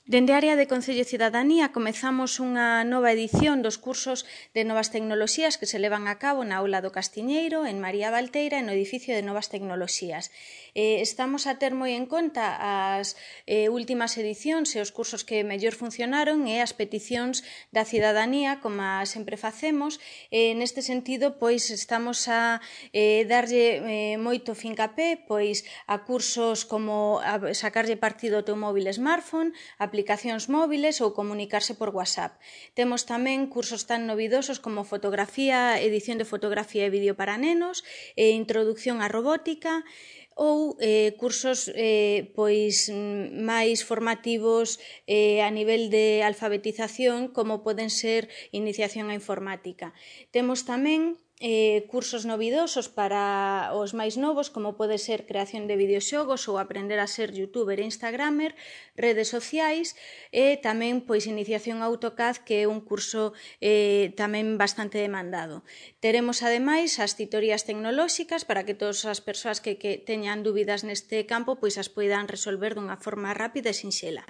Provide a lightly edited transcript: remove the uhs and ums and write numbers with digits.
Dende a área de Concello e Cidadanía comezamos unha nova edición dos cursos de novas tecnoloxías que se levan a cabo na aula do Castiñeiro, en María Valteira, no edificio de novas tecnoloxías. Estamos a ter moi en conta as últimas edicións e os cursos que mellor funcionaron e as peticións da cidadanía, como sempre facemos. Neste sentido, pois estamos a darlle moito fincapé pois a cursos como a sacarlle partido ao teu móvil smartphone, aplicacións móviles ou comunicarse por WhatsApp. Temos tamén cursos tan novidosos como fotografía, edición de fotografía e vídeo para nenos, introducción á robótica ou cursos pois máis formativos a nivel de alfabetización, como poden ser iniciación á informática. Temos tamén cursos novidosos para os máis novos, como pode ser creación de videoxogos ou aprender a ser youtuber e instagramer, redes sociais e tamén pois iniciación a AutoCAD, que é un curso tamén bastante demandado. Teremos ademais as titorías tecnolóxicas para que todas as persoas que teñan dúbidas neste campo pois as poidan resolver dunha forma rápida e sinxela.